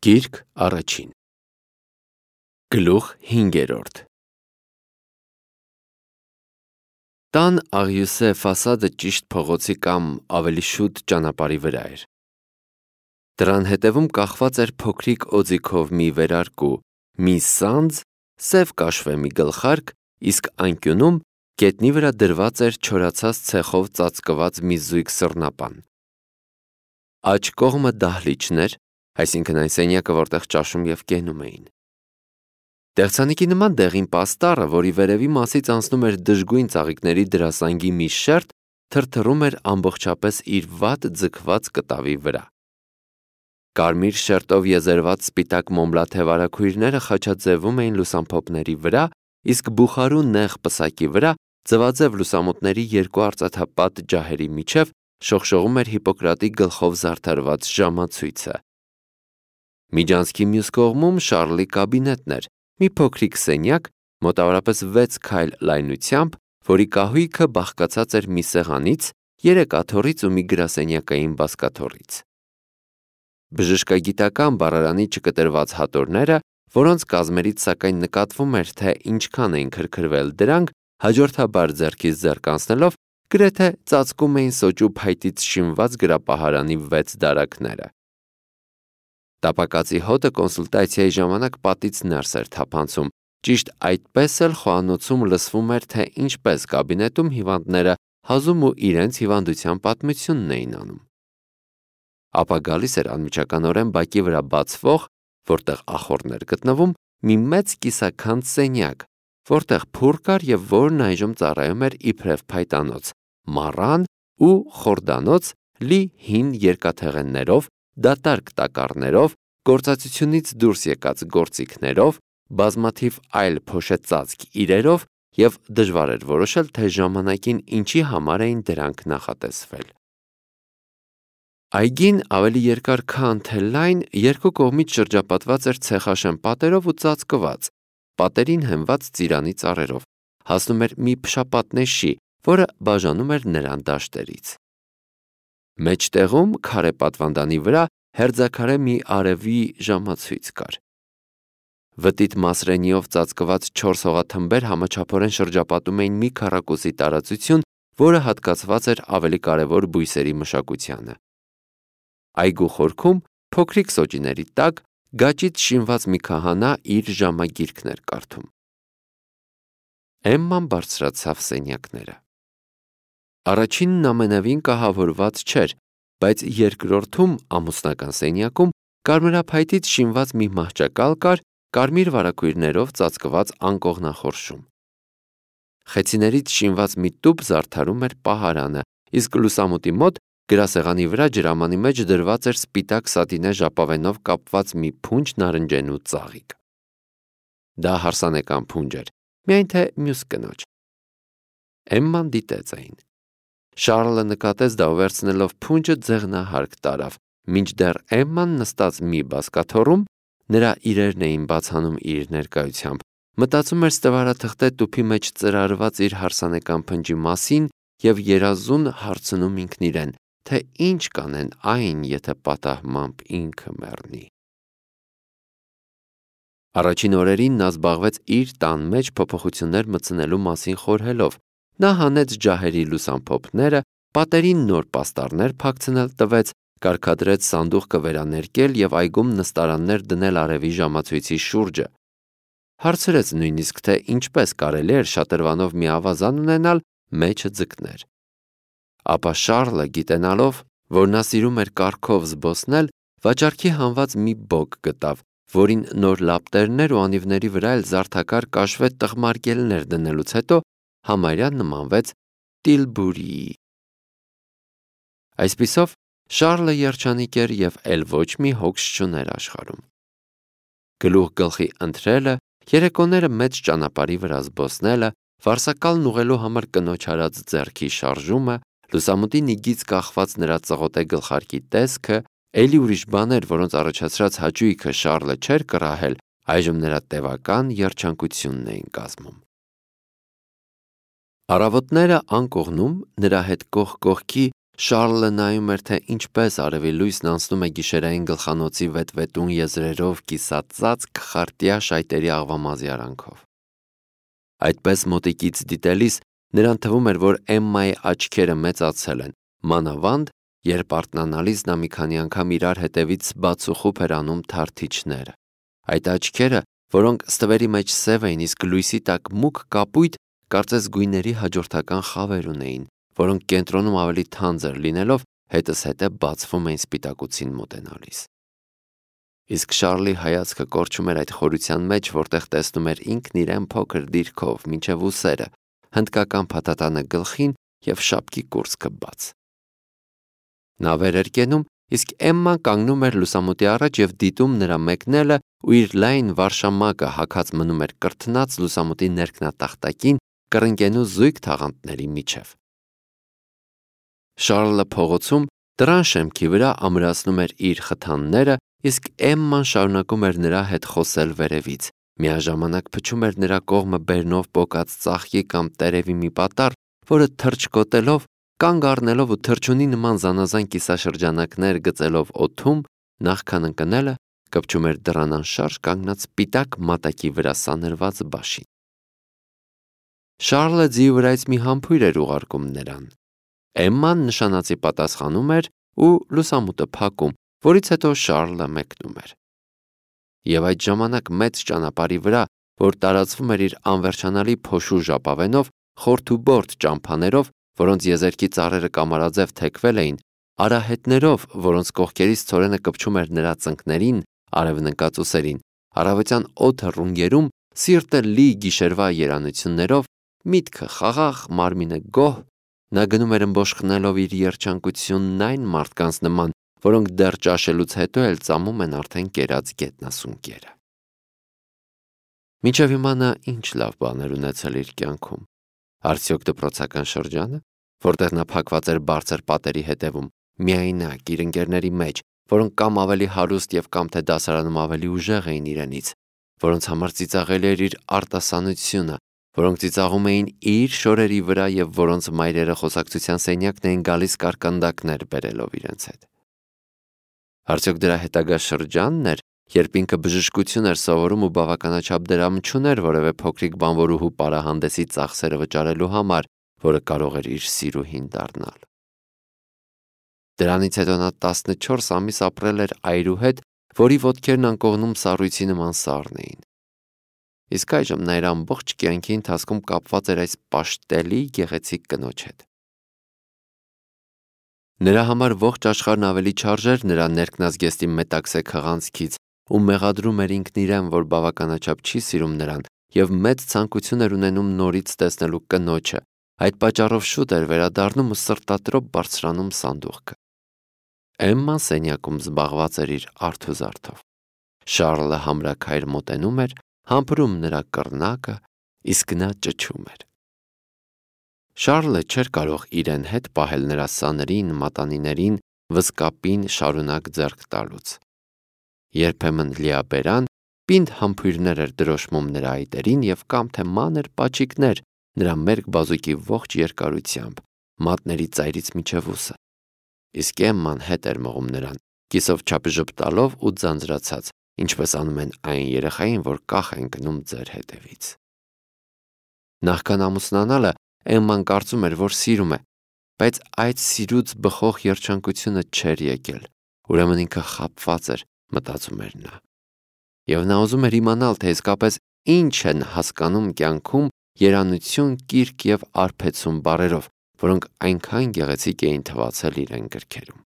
Գիրք առաջին Գլուխ 5 Տան Աղյուսե ֆասադը ճիշտ փողոցի կամ ավելի շուտ ճանապարհի վրա էր։ Դրան հետևում կախված էր փոքրիկ օձիքով մի վերարկու, մի սանձ, սև կաշվե մի գլխարկ, իսկ անկյունում գետնի վրա դրված էր չորացած ցեխով ծածկված մի զույգ սռնապան։ Աջ կողմը դահլիճն էր, այսինքն այն սենյակը, որտեղ ճաշում և կենում էին։ Դեղցանիկի նման դեղին պաստառը, որի վերևի մասից անցնում էր դժգույն ծաղիկների դրասանգի մի շերտ, թրթռում էր ամբողջապես իր վատ ձգված կտավի վրա։ Կարմիր շերտով եզերված սպիտակ մոմլաթե վարագույրները խաչաձևում էին լուսամփոփների վրա, իսկ բուխարու նեղ պսակի վրա, ձվաձև լուսամուտների երկու արծաթապատ ջահերի միջև, շողշողում էր Հիպոկրատի գլխով զարդարված ժամացույցը։ Միջանցքի մյուս կողմում Շառլի կաբինետն էր, մի փոքրիկ սենյակ, մոտավորապես 6 քայլ լայնությամբ, որի կահույքը բաղկացած էր մի սեղանից, 3 աթոռից ու մի գրասենյակային բազկաթոռից։ Բժշկագիտական բառարանի չկտրված հատորները, որոնց կազմերից սակայն նկատվում էր, թե ինչքան էին քրքրվել դրանք, հաջորդաբար ձեռքից ձեռք անցնելով, գրեթե ծածկում էին սոճու փայտից շինված գրապահարանի 6 դարակները։ Տապակածի հոտը կոնսուլտացիայի ժամանակ պատից ներս էր թափանցում, ճիշտ այդպես էլ խոհանոցում լսվում էր, թե ինչպես կաբինետում հիվանդները հազում ու իրենց հիվանդության պատմությունն էին անում։ Ապա գալիս էր անմիջականորեն բակի վրա բացվող, որտեղ ախոռն էր գտնվում, մի մեծ կիսաքանդ սենյակ, որտեղ փուռ կար և որն այժմ ծառայում էր իբրև փայտանոց, մառան ու խորդանոց լի հին երկաթեղեններով, դատարկ տակառներով, գործածությունից դուրս եկած գործիքներով, բազմաթիվ այլ փոշեցածկ իրերով և դժվար էր որոշել, թե ժամանակին ինչի համար էին դրանք նախատեսվել։ Այգին ավելի երկար քան թե լայն, երկու կողմից շրջապատված էր ցեխաշեն պատերով ու ծածկված, պատերին հենված ծիրանի ծառերով, հասնում էր մի փշապատնեշի, որը բաժանում էր նրան դաշտերից։ Մեջտեղում քարե պատվանդանի վրա հերձաքարե մի արևի ժամացույց կար։ Վտիտ մասրենիով ծածկված 4 հողաթմբեր համաչափորեն շրջապատում էին մի քառակուսի տարածություն, որը հատկացված էր ավելի կարևոր բույսերի մշակությանը։ Այգու խորքում, փոքրիկ սոճիների տակ, գաճից շինված մի քահանա իր ժամագիրքն էր կարդում։ Էմման բարձրացավ սենյակները։ Առաջինն ամենևին կահավորված չէր, բայց երկրորդում ամուսնական սենյակում կարմրափայտից շինված մի մահճակալ կար, կարմիր վարագույրներով ծածկված անկողնախորշում։ Խեցիներից շինված մի տուփ զարդարում էր պահարանը, իսկ լուսամուտի մոտ գրասեղանի վրա ջրամանի մեջ դրված էր սպիտակ սատինե ժապավենով կապված մի փունջ նարնջենու ծաղիկ։ Դա հարսանեկան փունջ էր, միայն թե մյուս կնոջ։ Էմման դիտեց այն։ Շառլը նկատեց դա ու վերցնելով փունջը ձեղնահարկ տարավ, մինչդեռ Էմման նստած մի բազկաթոռում, նրա իրերն էին բացանում իր ներկայությամբ, մտածում էր ստվարաթղթե տուփի մեջ ծրարված իր հարսանեկան փնջի մասին և երազուն հարցնում ինքն իրեն, թե ինչ կանեն այն, եթե պատահմամբ ինքը մեռնի։ Առաջին օրերին նա զբաղվեց իր տան մեջ փոփոխություններ մտցնելու մասին խորհելով։ Նա հանեց ջահերի լուսամփոփները, պատերին նոր պաստառներ փակցնել տվեց, կարգադրեց սանդուղքը վերաներկել և այգում նստարաններ դնել արևի ժամացույցի շուրջը։ Հարցրեց նույնիսկ, թե ինչպես կարելի էր շատրվանով մի ավազան ունենալ, մեջը ձկներ։ Ապա Շառլը, գիտենալով, որ նա սիրում էր կառքով զբոսնել, վաճառքի հանված մի բոկ գտավ, որին նոր լապտերներ ու անիվների վրա էլ զարդակար կաշվե տղմարկելներ դնելուց հետո համարյա նմանվեց Տիլբուրիի։ Այսպիսով, Շառլը երջանիկ էր և էլ ոչ մի հոգս չուներ աշխարհում։ Գլուխ գլխի ընթրելը, երեկոները մեծ ճանապարհի վրա զբոսնելը, վարսակալն ուղղելու համար կնոջ արած ձեռքի շարժումը, լուսամուտի նիգից կախված նրա ծղոտե գլխարկի տեսքը, էլի ուրիշ բաներ, որոնց առաջացրած հաճույքը Շառլը չէր կռահել, այժմ նրա տևական երջանկությունն էին կազմում։ Առավոտները անկողնում նրա հետ կողք կողքի Շարլը նայում էր, թե ինչպես արևի լույսն անցնում է գիշերային գլխանոցի վետվետուն եզրերով կիսածածկ խարտյա շայտերի աղվամազի արանքով։ Այդպես մոտիկից դիտելիս նրան թվում էր, որ Էմմայի աչքերը մեծացել են, մանավանդ, երբ արթնանալիս նա մի քանի անգամ իրար հետևից բացուխուփ էր անում թարթիչները։ Այդ աչքերը, որոնք ստվերի մեջ սև էին, իսկ լույսի տակ մուգ կապույտ, կարծես գույների հաջորդական խավեր ունեին, որոնք կենտրոնում ավելի թանձր լինելով հետզհետե բացվում էին սպիտակուցին մոտենալիս։ Իսկ Շարլի հայացքը կորչում էր այդ խորության մեջ, որտեղ տեսնում էր ինքն իրեն փոքր դիրքով, մինչև ուսերը, հնդկական փաթաթանը գլխին և շապկի կուրծքը բաց։ Նա վեր էր կենում, իսկ Էմման կանգնում էր լուսամուտի առաջ և դիտում նրա մեկնելը ու իր լայն վարշամակը հագած մնում էր կրթնած լուսամուտի ներքնատախտակին կռնկենու զույգ թաղանթների միջև։ Շարլը փողոցում դռան շեմքի վրա ամրացնում էր իր խթանները, իսկ Էմման շարունակում էր նրա հետ խոսել վերևից, միաժամանակ փչում էր նրա կողմը բերնով պոկած ծաղկի կամ տերևի մի պատառ, որը թռչկոտելով, կանգ առնելով ու թռչունի նման զանազան կիսաշրջանակներ գծելով օդում, նախքան ընկնելը, կպչում էր դռան անշարժ կանգնած սպիտակ մատակի վրա սանրված բաշին։ Շարլը ձիու վրայից մի համբույր էր ուղարկում նրան։ Էմման նշանածի պատասխանում էր ու լուսամուտը փակում, որից հետո Շարլը մեկնում էր։ Եվ այդ ժամանակ մեծ ճանապարհի վրա, որ տարածվում էր իր անվերջանալի փոշու ժապավենով, խորթուբորդ ճամփաներով, որոնց եզերքի ծառերը կամարաձև թեքվել էին, արահետներով, որոնց կողքերից ցորենը կպչում էր նրա ծնկներին, արևնկած ուսերին, առավոտյան օդը ռունգերում, սիրտը լի գիշերվա երանություններով, միտքը խաղաղ, մարմինը գոհ, նա գնում էր ըմբոշխնելով իր երջանկությունն այն մարդկանց նման, որոնք դեռ ճաշելուց հետո էլ ծամում են արդեն կերած գետնասունկերը։ Մինչև հիմա նա ինչ լավ բաներ ունեցել իր կյանքում։ Արդյոք դպրոցական շրջանը, որտեղ նա փակված էր բարձր պատերի հետևում, միայնակ իր ընկերների մեջ, որոնք կամ ավելի հարուստ և կամ թե դասարանում ավելի ուժեղ էին իրենից, որոնց համար ծիծաղելի էր իր արտասանությունը, որոնք ծիծաղում էին իր շորերի վրա և որոնց մայրերը խոսակցության սենյակն էին գալիս կարկանդակներ բերելով իրենց հետ։ Արդյոք դրա հետագա շրջանն էր, երբ ինքը բժշկություն էր սովորում ու բավականաչափ դրամ չուներ որևէ փոքրիկ բանվորուհու պարահանդեսի ծախսերը վճարելու համար, որը կարող էր իր սիրուհին դառնալ։ Դրանից հետո նա 14 ամիս ապրել էր այրու հետ, որի ոտքերն անկողնում սառույցի նման սառն էին։ Իսկ այժմ նա իր ամբողջ կյանքի ընթացքում կապված էր այս պաշտելի գեղեցիկ կնոջ հետ։ Նրա համար ողջ աշխարհն ավելի չարժեր նրա ներքնազգեստի մետաքսե քղանցքից ու մեղադրում էր ինքն իրեն, որ բավականաչափ չի սիրում նրան և մեծ ցանկություն էր ունենում նորից տեսնելու կնոջը, այդ պատճառով շուտ էր վերադառնում ու սրտատրոփ բարձրանում սանդուղքը։ Էմման սենյակում զբաղված էր իր արթուզարդով։ Շարլը համրաքայր մոտենում էր, համբուրում նրա կռնակը, իսկ նա ճչում էր։ Շարլը չէր կարող իրեն հետ պահել նրա սաներին, մատանիներին, վզկապին շարունակ ձեռք տալուց։ Երբեմն լիաբերան, պինդ համբույրներ էր դրոշմում նրա այտերին և կամ թե մանր պաչիկներ նրա մերկ բազուկի ողջ երկարությամբ, մատների ծայրից մինչև ուսը։ Իսկ Էմման հետ էր մղում նրան, կիսով չափժպտալով ու ձանձրացած, ինչպես անում են այն երեխային, որ կախ են գնում ձեր հետևից։ Նախքան ամուսնանալը Էմման կարծում էր, որ սիրում է, բայց այդ սիրուց բխող երջանկությունը չէր եկել, ուրեմն ինքը խաբված էր, մտածում էր նա։ Եվ նա ուզում էր իմանալ, թե իսկապես ինչ են հասկանում կյանքում երանություն, կիրք և արբեցում բառերով, որոնք այնքան գեղեցիկ էին թվացել իրեն գրքերում։